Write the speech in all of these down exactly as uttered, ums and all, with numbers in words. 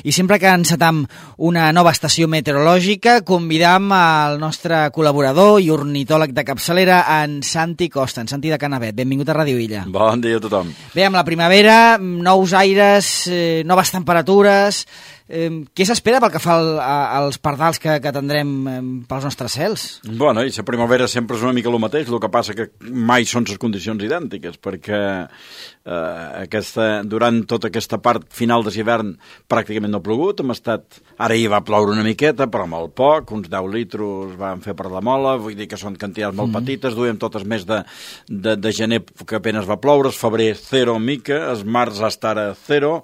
I sempre que encetam una nova estació meteorològica, convidam al nostre col·laborador i ornitòleg de capçalera, en Santi Costa, en Santi de Canavet. Benvingut a Ràdio Illa. Bon dia a tothom. Bé, amb la primavera, nous aires, eh, noves temperatures... Eh, què s'espera pel que fa al, a, als pardals que, que tindrem eh, pels nostres cels? Bueno, i la primavera sempre és una mica el mateix, el que passa que mai són les condicions idèntiques, perquè eh, aquesta, durant tota aquesta part final de l'hivern pràcticament no ha plogut, hem estat... Ara hi va ploure una miqueta, però molt poc, uns deu litros van fer per la mola, vull dir que són quantitats molt mm. petites, duem totes més de, de, de gener que apenas va ploure, el febrer zero mica, el març hasta ara zero,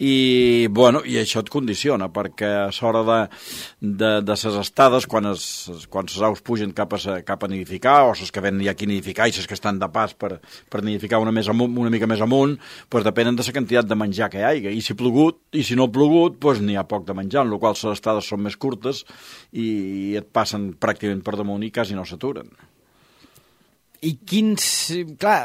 i, bueno, i això et condiciona, perquè a l'hora de, de, de ses estades, quan es, quan ses aus pugen cap a, cap a nidificar, o ses que venen ja aquí a nidificar i ses que estan de pas per, per nidificar una, més amunt, una mica més amunt, pues depenen de la quantitat de menjar que hi hagi. I si ha plogut, i si no ha plogut, pues n'hi ha poc de menjar, en la qual les estades són més curtes i, i et passen pràcticament per damunt i quasi no s'aturen. I quins... Clar...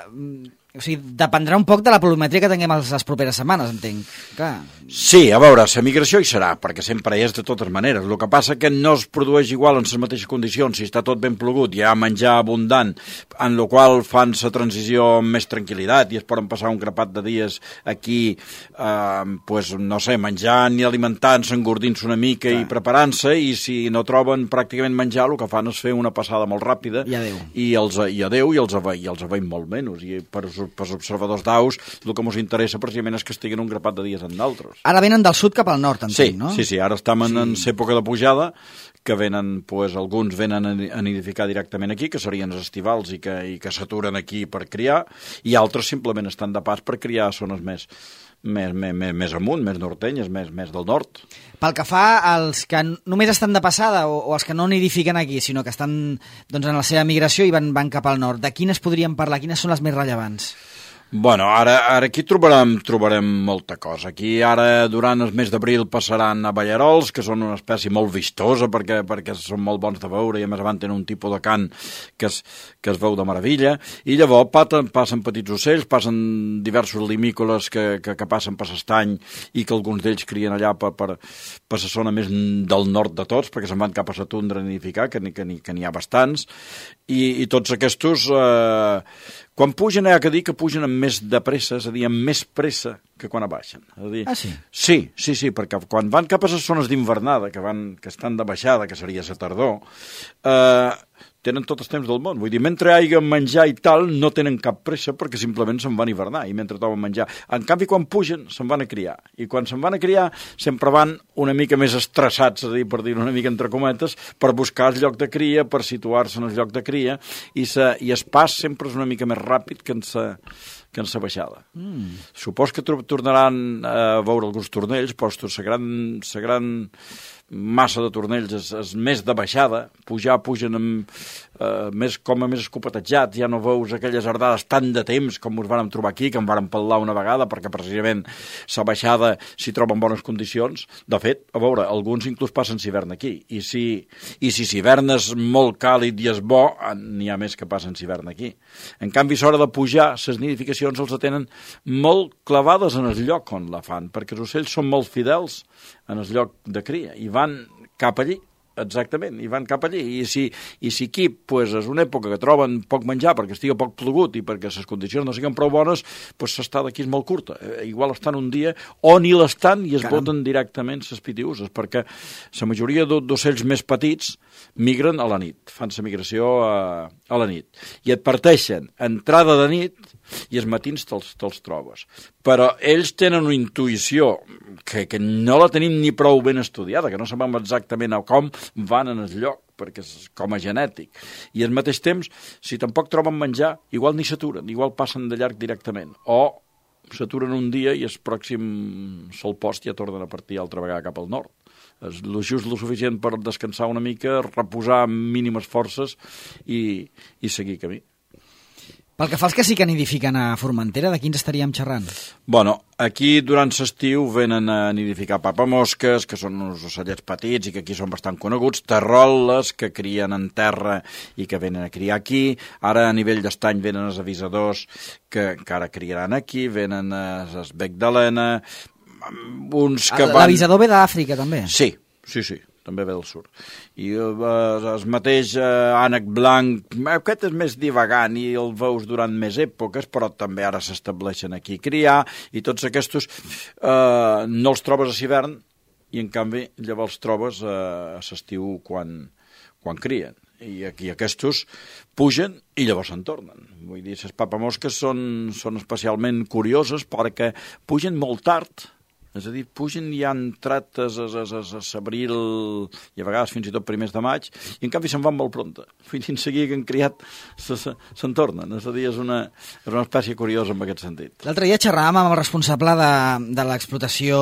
O sigui, dependrà un poc de la pluviometria que tinguem les properes setmanes, entenc. Clar. Sí, a veure, la migració hi serà, perquè sempre hi és de totes maneres. El que passa que no es produeix igual en les mateixes condicions. Si està tot ben plogut, hi ha menjar abundant, en el qual fan la transició amb més tranquil·litat i es poden passar un grapat de dies aquí, eh, pues, no sé, menjant i alimentant-se, engordint-se una mica Clar. I preparant-se, i si no troben pràcticament menjar, el que fan és fer una passada molt ràpida. I adeu. I, els, i adeu, i els, i els aveim molt menys. I per pels observadors d'aus, el que ens interessa precisament és que estiguin un grapat de dies en d'altres. Ara venen del sud cap al nord, entenc, sí, no? Sí, sí, ara estem en, sí. en l'època de pujada, que venen, pues, alguns venen a nidificar directament aquí, que serien els estivals i que, i que s'aturen aquí per criar, i altres simplement estan de pas per criar a zones més, més, més, més, més amunt, més nortenyes, més, més del nord. Pel que fa als que només estan de passada o, o els que no nidifiquen aquí, sinó que estan doncs, en la seva migració i van, van cap al nord, de quines podríem parlar? Quines són les més rellevants? Bueno, ara, ara aquí trobarem, trobarem molta cosa. Aquí ara, durant el mes d'abril, passaran a ballarols, que són una espècie molt vistosa perquè, perquè són molt bons de veure i a més abans tenen un tipus de cant que es, que es veu de meravella. I llavors passen, passen petits ocells, passen diversos limícoles que, que, que passen per l'estany i que alguns d'ells crien allà per, per, per la zona més del nord de tots, perquè se'n van cap a la tundra a nidificar, que n'hi que, que n'hi ha bastants. I, i tots aquests... Eh, quan pugen, hi ha que dir que pugen amb més de pressa, és a dir, amb més pressa que quan baixen. És a dir, ah, sí? Sí, sí, sí, perquè quan van cap a les zones d'invernada, que, van, que estan de baixada, que seria la tardor, eh, tenen tot el temps del món. Vull dir, mentre hi hagi menjar i tal, no tenen cap pressa perquè simplement se'n van hivernar i mentre troben menjar. En canvi, quan pugen, se'n van a criar. I quan se'n van a criar, sempre van una mica més estressats, és a dir, per dir una mica entre cometes, per buscar el lloc de cria, per situar-se en el lloc de cria, i, sa, i el pas sempre és una mica més ràpid que en sa, que en sa baixada. Mm. Supos que tornaran a veure alguns tornells, però la gran, la gran massa de tornells és, és més de baixada, pujar, pugen amb, eh, més, com a més escopetejats, ja no veus aquelles ardades tant de temps com us vàrem trobar aquí, que em vàrem pel·lar una vegada, perquè precisament la baixada s'hi troba en bones condicions. De fet, a veure, alguns inclús passen l'hivern aquí, i si i si l'hivern és molt càlid i és bo, n'hi ha més que passen l'hivern aquí. En canvi, a l'hora de pujar, les nidificacions els tenen molt clavades en el lloc on la fan, perquè els ocells són molt fidels en el lloc de cria, i van cap allí, exactament, i van cap allí. I si, i si aquí pues, és una època que troben poc menjar perquè estigui poc plogut i perquè les condicions no siguin prou bones, pues, l'estada aquí és molt curta. Eh, igual estan un dia o ni l'estan i es Caram. Boten directament les pitiuses, perquè la majoria d'ocells més petits migren a la nit, fan la migració a, a la nit, i et parteixen entrada de nit i els matins te'ls, te'ls trobes. Però ells tenen una intuïció que, que no la tenim ni prou ben estudiada, que no sabem exactament a com van en el lloc, perquè és com a genètic. I al mateix temps, si tampoc troben menjar, igual ni s'aturen, igual passen de llarg directament. O s'aturen un dia i el pròxim sol post ja tornen a partir altra vegada cap al nord. És lo just lo suficient per descansar una mica, reposar amb mínimes forces i, i seguir camí. Pel que fa als que sí que nidifiquen a Formentera, de quins estaríem xerrant? Bueno, aquí durant l'estiu venen a nidificar papamosques, que són uns ocellets petits i que aquí són bastant coneguts, terroles, que crien en terra i que venen a criar aquí. Ara a nivell d'estany venen els avisadors que encara criaran aquí, venen els bec d'Helena, uns que van... L'avisador ve d'Àfrica, també? Sí, sí, sí, també ve del sud. I eh, el mateix eh, ànec blanc, aquest és més divagant i el veus durant més èpoques, però també ara s'estableixen aquí a criar, i tots aquests eh, no els trobes a l'hivern, i en canvi llavors els trobes eh, a l'estiu quan, quan crien. I aquí aquests pugen i llavors se'n tornen. Vull dir, les papamosques són, són especialment curioses perquè pugen molt tard, és a dir, pugen i han entrat a l'abril i a vegades fins i tot primers de maig, i en canvi se'n van molt prompte. Vull dir, en seguida que han criat se'n tornen. És a dir, és una, és una espècie curiosa en aquest sentit. L'altre dia xerràvem amb el responsable de, de l'explotació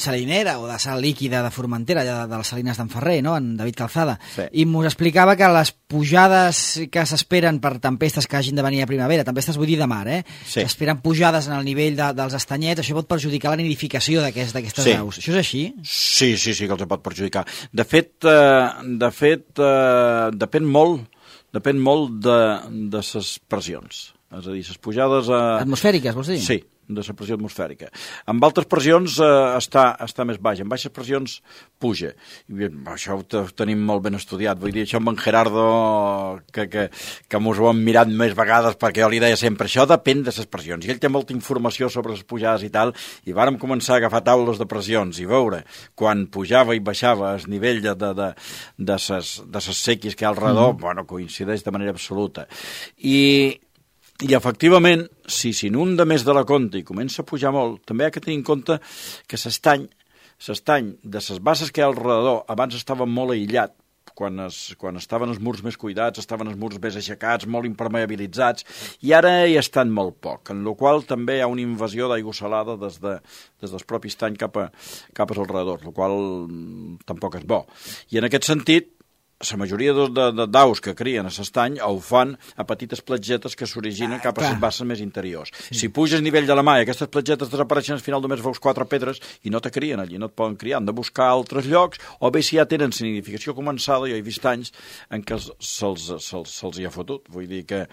salinera o de sal líquida de Formentera, de, de les salines d'en Ferrer, no? En David Calzada, sí. I mos explicava que les pujades que s'esperen per tempestes que hagin de venir a primavera, tempestes vull dir de mar, eh? Sí. S'esperen pujades en el nivell de, dels estanyets, això pot perjudicar la nidificació d'aquestes sí. aus. Això és així? Sí, sí, sí, que els pot perjudicar. De fet, eh, de fet eh, depèn molt, depèn molt de, de ses pressions. És a dir, ses pujades... Eh... Atmosfèriques, vols dir? Sí, de la pressió atmosfèrica. Amb altres pressions eh, està, està més baix, amb baixes pressions puja. I això ho tenim molt ben estudiat. Vull dir, això amb en Gerardo, que, que, que mos ho hem mirat més vegades, perquè jo li deia sempre, això depèn de les pressions. I ell té molta informació sobre les pujades i tal, i vàrem començar a agafar taules de pressions i veure quan pujava i baixava el nivell de, de, de, de, ses, de ses sequis que hi ha al redor, mm. bueno, coincideix de manera absoluta. I... I, efectivament, si s'inunda més de la compte i comença a pujar molt, també hi ha que tenir en compte que l'estany, l'estany de les basses que hi ha al redador, abans estava molt aïllat, quan, es, quan estaven els murs més cuidats, estaven els murs més aixecats, molt impermeabilitzats, i ara hi estan molt poc, en la qual també hi ha una invasió d'aigua salada des, de, des del propi estany cap, a, cap als alrededors, el qual tampoc és bo. I en aquest sentit, la majoria d'aus que crien a l'estany ho fan a petites platgetes que s'originen ah, cap a les basses més interiors. Sí. Si puges a nivell de la mà i aquestes platgetes desapareixen, al final només veus quatre pedres i no te crien allí, no et poden criar. Han de buscar altres llocs, o bé si ja tenen la nidificació començada, jo he vist anys en què se'ls se se hi ha fotut. Vull dir que,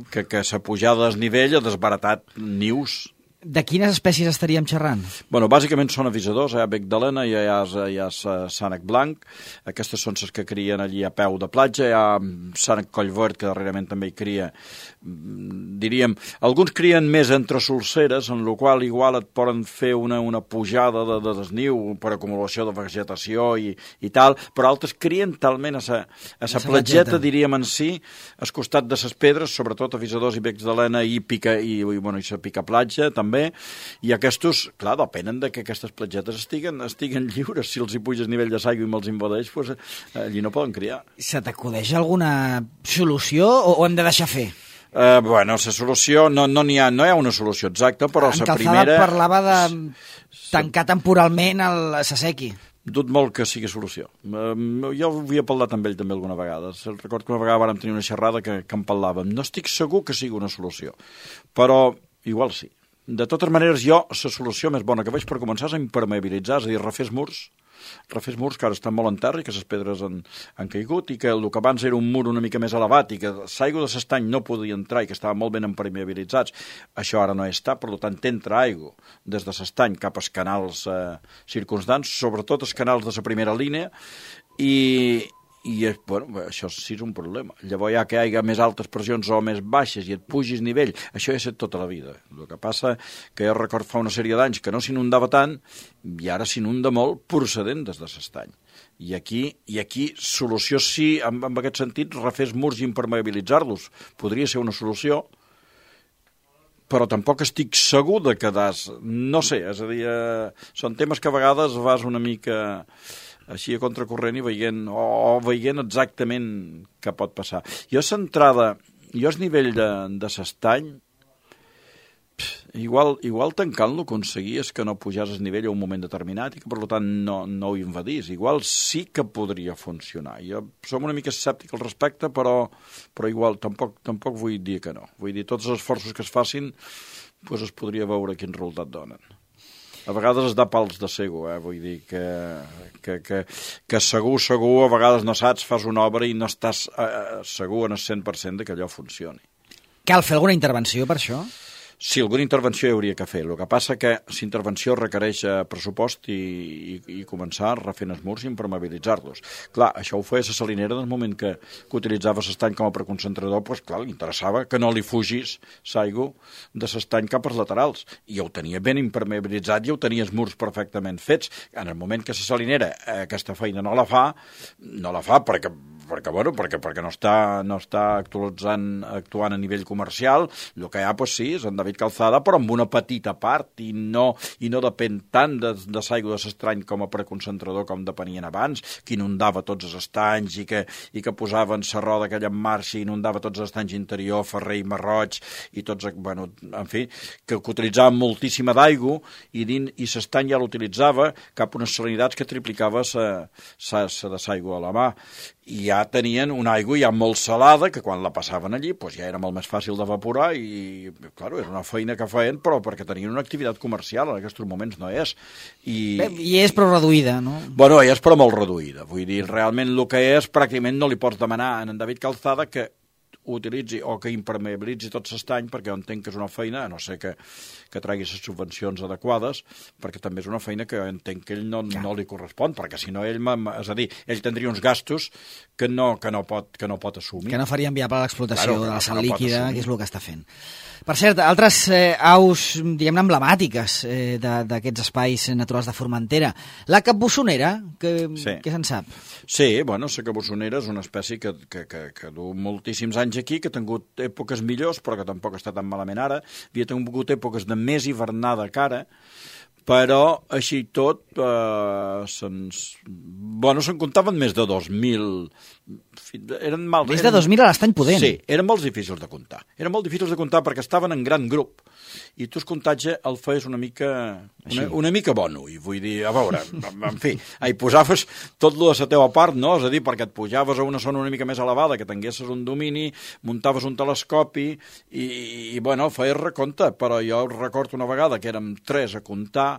que, que la pujada del nivell ha desbaratat nius. De quines espècies estaríem xerrant? Bueno, bàsicament són avisadors, hi ha bec d'Helena, hi ha, hi ha sànec blanc, aquestes són les que crien allí a peu de platja, hi ha sànec collverd, que darrerament també hi cria, diríem, alguns crien més entre solceres, en la qual igual et poden fer una, una pujada de, de desniu per acumulació de vegetació i, i tal, però altres crien talment a sa, a sa platgeta, diríem en si, al costat de ses pedres, sobretot avisadors i becs d'Helena i pica, i, i, bueno, i sa pica platja, també, i aquests, clar, depenen de que aquestes platgetes estiguen, estiguen lliures. Si els hi puges nivell de l'aigua i me'ls invadeix, pues, allí no poden criar. Se t'acudeix alguna solució o, o hem de deixar fer? Uh, bueno, la solució, no no n'hi ha, no hi ha una solució exacta, però la primera... En Calzada parlava de tancar temporalment el Sasequi. Dut molt que sigui solució. Uh, jo havia parlat amb ell també alguna vegada. Recordo que una vegada vàrem tenir una xerrada que, que en parlàvem. No estic segur que sigui una solució, però igual sí. De totes maneres, jo, la solució més bona que veig per començar és a impermeabilitzar, és a dir, refer murs, refer murs que ara estan molt en terra i que les pedres han, han caigut i que el que abans era un mur una mica més elevat i que l'aigua de l'estany no podia entrar i que estava molt ben impermeabilitzats, això ara no està, per tant, t'entra aigua des de l'estany cap als canals eh, circumstants, sobretot els canals de la primera línia, i... I, bueno, això sí és un problema. Llavors, ja que hi ha més altes pressions o més baixes i et pugis nivell, això ja ha estat tota la vida. El que passa que jo record fa una sèrie d'anys que no s'inundava tant i ara s'inunda molt procedent des de l'estany. I aquí, i aquí solució sí, en, en aquest sentit, refer murs i impermeabilitzar-los. Podria ser una solució, però tampoc estic segur de que das... No sé, és a dir, eh, són temes que a vegades vas una mica... així a contracorrent i veient, o, o veient exactament què pot passar. Jo centrada, jo el nivell de, de l'estany, igual, igual tancant-lo aconseguies que no pujàs el nivell a un moment determinat i que per tant no, no ho invadís. Igual sí que podria funcionar. Jo som una mica escèptic al respecte, però, però igual tampoc, tampoc vull dir que no. Vull dir, tots els esforços que es facin doncs es podria veure quin resultat donen. A vegades es da pals de cego, eh? Vull dir que, que, que, que segur, segur, a vegades no saps, fas una obra i no estàs eh, segur en el cent per cent de que allò funcioni. Cal fer alguna intervenció per això? Sí, alguna intervenció hi hauria que fer. El que passa que si intervenció requereix pressupost i, i, i començar refent els murs i impermeabilitzar-los. Clar, això ho feia la salinera en el moment que, que utilitzava l'estany com a preconcentrador, doncs clar, li interessava que no li fugís l'aigua de l'estany cap als laterals. I ho tenia ben impermeabilitzat i ho tenia els murs perfectament fets. En el moment que la salinera eh, aquesta feina no la fa, no la fa perquè perquè, bueno, perquè, perquè no està, no està actualitzant, actuant a nivell comercial. El que hi ha, doncs sí, és en David Calzada, però amb una petita part, i no, i no depèn tant de, de l'aigua de l'estrany com a preconcentrador com depenien abans, que inundava tots els estanys i que, i que posaven la roda aquella en marxa i inundava tots els estanys interior, Ferrer i Marroig, i tots, bueno, en fi, que, que utilitzaven moltíssima d'aigua i, i l'estany ja l'utilitzava cap a unes salinitats que triplicava la de l'aigua a la mà. I ja tenien una aigua ja molt salada, que quan la passaven allí pues ja era molt més fàcil d'evaporar i, claro, era una feina que feien, però perquè tenien una activitat comercial, en aquests moments no és. I, Bé, i és però reduïda, no? Bueno, és però molt reduïda. Vull dir, realment el que és, pràcticament no li pots demanar a en David Calzada que utilitzi o que impermeabilitzi tot l'estany, perquè jo entenc que és una feina, a no ser que, que tregui les subvencions adequades, perquè també és una feina que jo entenc que ell no, no li correspon, perquè si no ell, és a dir, ell tindria uns gastos que no, que no, pot, que no pot assumir. Que no farien viable l'explotació claro, de la sal no líquida, que és el que està fent. Per cert, altres eh, aus, diguem-ne, emblemàtiques eh, d'aquests espais naturals de Formentera. La capbussonera, que, sí. Què se'n sap? Sí, bueno, la capbussonera és una espècie que, que, que, que du moltíssims anys aquí, que ha tingut èpoques millors, però que tampoc està tan malament ara. Havia tingut èpoques de més hivernada que ara, però així tot eh, se'ns... Bueno, se'n comptaven més de dos mil... Eren mal... Més de dos mil a l'estany Pudent. Sí, eren molt difícils de comptar. Eren molt difícils de comptar perquè estaven en gran grup i tu el comptatge el feies una mica una, una mica bono, i vull dir, a veure, en fi, hi posaves tot lo de la teva part, no? És a dir, perquè et pujaves a una zona una mica més elevada, que tinguessis un domini, muntaves un telescopi i, i bueno, feies recompte, però jo recordo una vegada que érem tres a comptar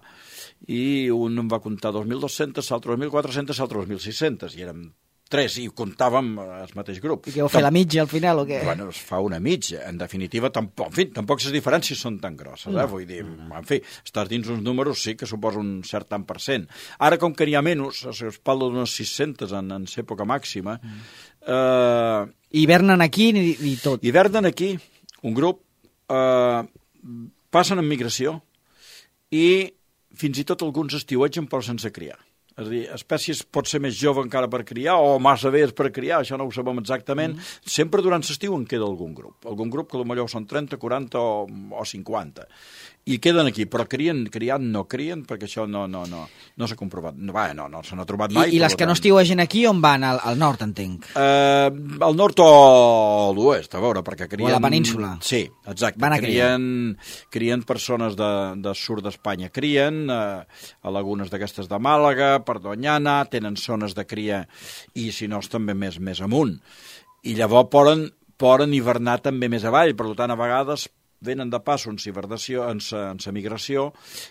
i un em va comptar dos mil dos-cents, l'altre dos mil quatre-cents, l'altre dos mil sis-cents, i érem tres, i comptàvem el mateix grup. I què vau fer, la mitja al final, o què? Bueno, es fa una mitja. En definitiva, tampoc, en fi, tampoc les diferències són tan grosses, eh? No. Vull dir, en fi, estàs dins uns números, sí que suposa un cert tant per cent. Ara, com que n'hi ha menys, es parla d'unes sis-centes en, en l'època màxima... Mm. Eh, hivernen aquí i, i tot. Hivernen aquí, un grup, eh, passen en migració i fins i tot alguns estiuetgen però sense criar. És a dir, espècies pot ser més jove encara per criar o massa velles per criar, això no ho sabem exactament. Mm. Sempre durant l'estiu en queda algun grup. Algun grup que potser són trenta, quaranta o, o cinquanta. I queden aquí, però crien, criant no crien, perquè això no, no, no, no s'ha comprovat. No, va, no, no se n'ha trobat mai. I, i les que tant. No estiuegen aquí, on van? Al, al nord, entenc? Uh, al nord o a l'oest, a veure, perquè crien... O a la península. Sí, exacte. Van a crien, crien persones de, de sud d'Espanya, crien uh, a lagunes d'aquestes de Màlaga, per Doñana, tenen zones de cria i, si no, és també més, més amunt. I llavors poden, poden hivernar també més avall, per tant, a vegades venen de pas en hivernació, en sa migració,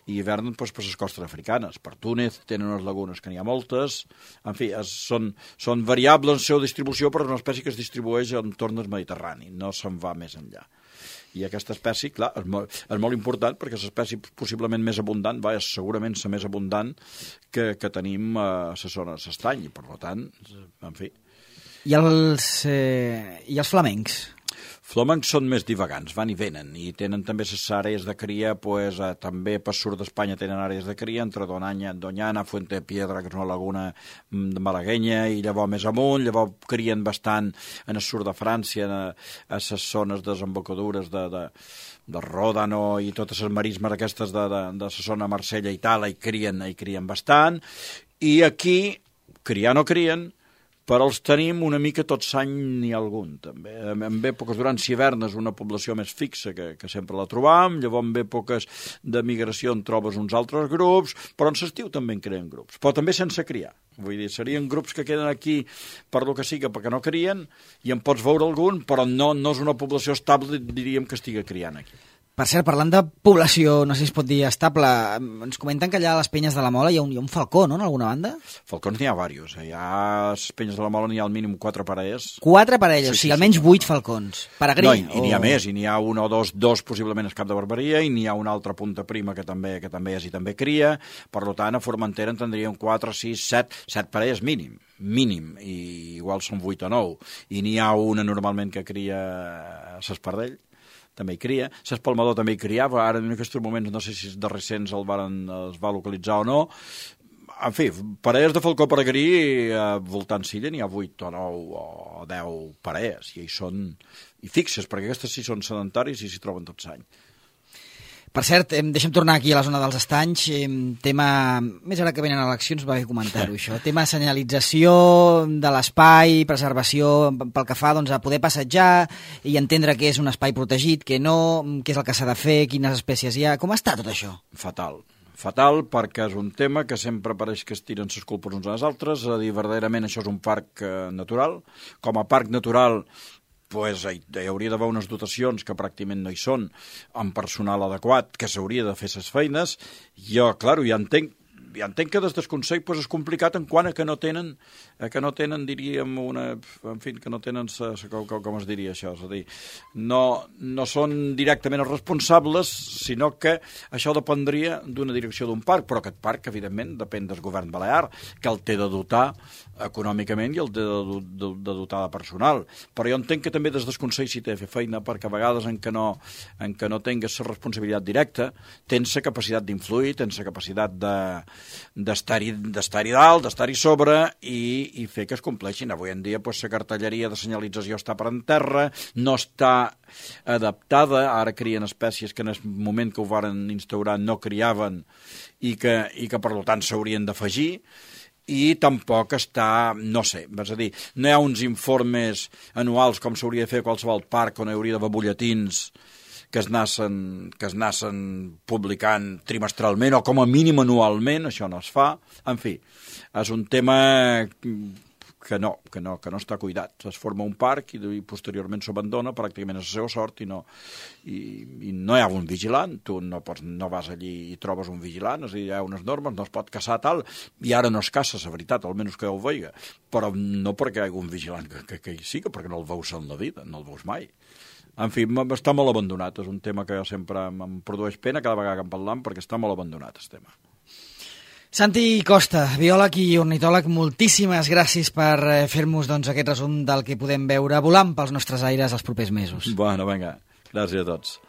i hivernen doncs, per les costes africanes. Per Túnez tenen unes lagunes que n'hi ha moltes. En fi, es, són, són variables en la seva distribució, però és una espècie que es distribueix en torn del Mediterrani, no se'n va més enllà. I aquesta espècie, clar, és molt, és molt important perquè és l'espècie possiblement més abundant, va, és segurament la més abundant que, que tenim a la zona de l'estany, i per tant, en fi. I els, eh, i els flamencs? Flamencs són més divagants, van i venen, i tenen també les àrees de cria, pues, eh, també per sud d'Espanya tenen àrees de cria, entre Donanya, Doñana, Fuente de Piedra, que és una laguna malaguenya, i llavors més amunt, llavors crien bastant en el sud de França, a, a les zones desembocadures de, de, de Ròdano i totes les marismes aquestes de, de, de la zona de Marsella i tal, hi crien, hi crien bastant, i aquí, criar no crien, però els tenim una mica tot l'any n'hi ha algun, també. En èpoques durant hivernes una població més fixa que, que sempre la trobam, llavors en èpoques de migració en trobes uns altres grups, però en l'estiu també en creen grups, però també sense criar. Vull dir, serien grups que queden aquí per lo que siga, perquè no crien, i en pots veure algun, però no, no és una població estable, diríem, que estigui criant aquí. Per cert, parlant de població, no sé si es pot dir estable, ens comenten que allà a les Penyes de la Mola hi ha un, hi ha un falcó, no?, en alguna banda? Falcons n'hi ha diversos. Hi ha a les Penyes de la Mola n'hi ha al mínim quatre parelles. Quatre parelles, sí, o sigui, sí, almenys sí, vuit no. falcons. Peregrí? No, i, i n'hi ha o... més, i n'hi ha un o dos, dos possiblement al Cap de Barberia, i n'hi ha una altra punta prima que també que també és i també cria. Per tant, a Formentera en tindríem quatre, sis, set, set parelles mínim, mínim, i igual són vuit o nou. I n'hi ha una normalment que cria a l'Espardell, també hi cria. L'Espalmador també hi criava, ara en aquests moments no sé si de recents el varen, es va localitzar o no. En fi, parelles de falcó peregrí, eh, voltant Silla n'hi ha vuit o nou o deu parelles, i són i fixes, perquè aquestes sí són sedentaris i s'hi troben tots l'any. Per cert, eh, deixa'm tornar aquí a la zona dels estanys, eh, tema, més ara que venen eleccions va bé comentar-ho això, tema senyalització de l'espai, preservació pel que fa doncs, a poder passejar i entendre què és un espai protegit, què no, què és el que s'ha de fer, quines espècies hi ha, com està tot això? Fatal. Fatal, perquè és un tema que sempre pareix que es tiren les culpes uns als altres, a dir, verdaderament això és un parc eh, natural. Com a parc natural, pues, hi, hi hauria d'haver unes dotacions que pràcticament no hi són, amb personal adequat, que s'hauria de fer les feines. Jo, clar, ja entenc, ja entenc que des del Consell pues, és complicat en quant a que no tenen, a que no tenen, diríem, una... En fi, que no tenen... Sa, sa, com, com es diria això? És a dir, no, no són directament els responsables, sinó que això dependria d'una direcció d'un parc, però aquest parc, evidentment, depèn del govern balear, que el té de dotar econòmicament i el té de, de, de dotar de personal. Però jo entenc que també des del Consell s'hi té de fer feina, perquè a vegades en què no, en què no tingues la responsabilitat directa, tens la capacitat d'influir, tens la capacitat de d'estar-hi d'estar-hi dalt, d'estar-hi sobre i, i fer que es compleixin. Avui en dia pues, la cartelleria de senyalització està per en terra, no està adaptada, ara crien espècies que en el moment que ho varen instaurar no criaven i que, i que per tant s'haurien d'afegir, i tampoc està, no sé, és a dir, no hi ha uns informes anuals com s'hauria de fer a qualsevol parc on hi hauria d'haver butlletins que es nassen, que es nassen publicant trimestralment o com a mínim anualment, això no es fa. En fi, és un tema que no, que no, que no està cuidat. Es forma un parc i, i posteriorment s'abandona pràcticament a la seva sort i no, i, i no hi ha un vigilant. Tu no, pots, no vas allí i trobes un vigilant, és a dir, hi ha unes normes, no es pot caçar tal, i ara no es caça, la veritat, almenys que ho veiga, però no perquè hi hagi un vigilant que, que, que hi sigui, perquè no el veus en la vida, no el veus mai. En fi, està molt abandonat, és un tema que sempre em produeix pena cada vegada que en parlam, perquè està molt abandonat, el tema. Santi Costa, biòleg i ornitòleg, moltíssimes gràcies per fer-nos doncs, aquest resum del que podem veure volant pels nostres aires els propers mesos. Bueno, vinga, gràcies a tots.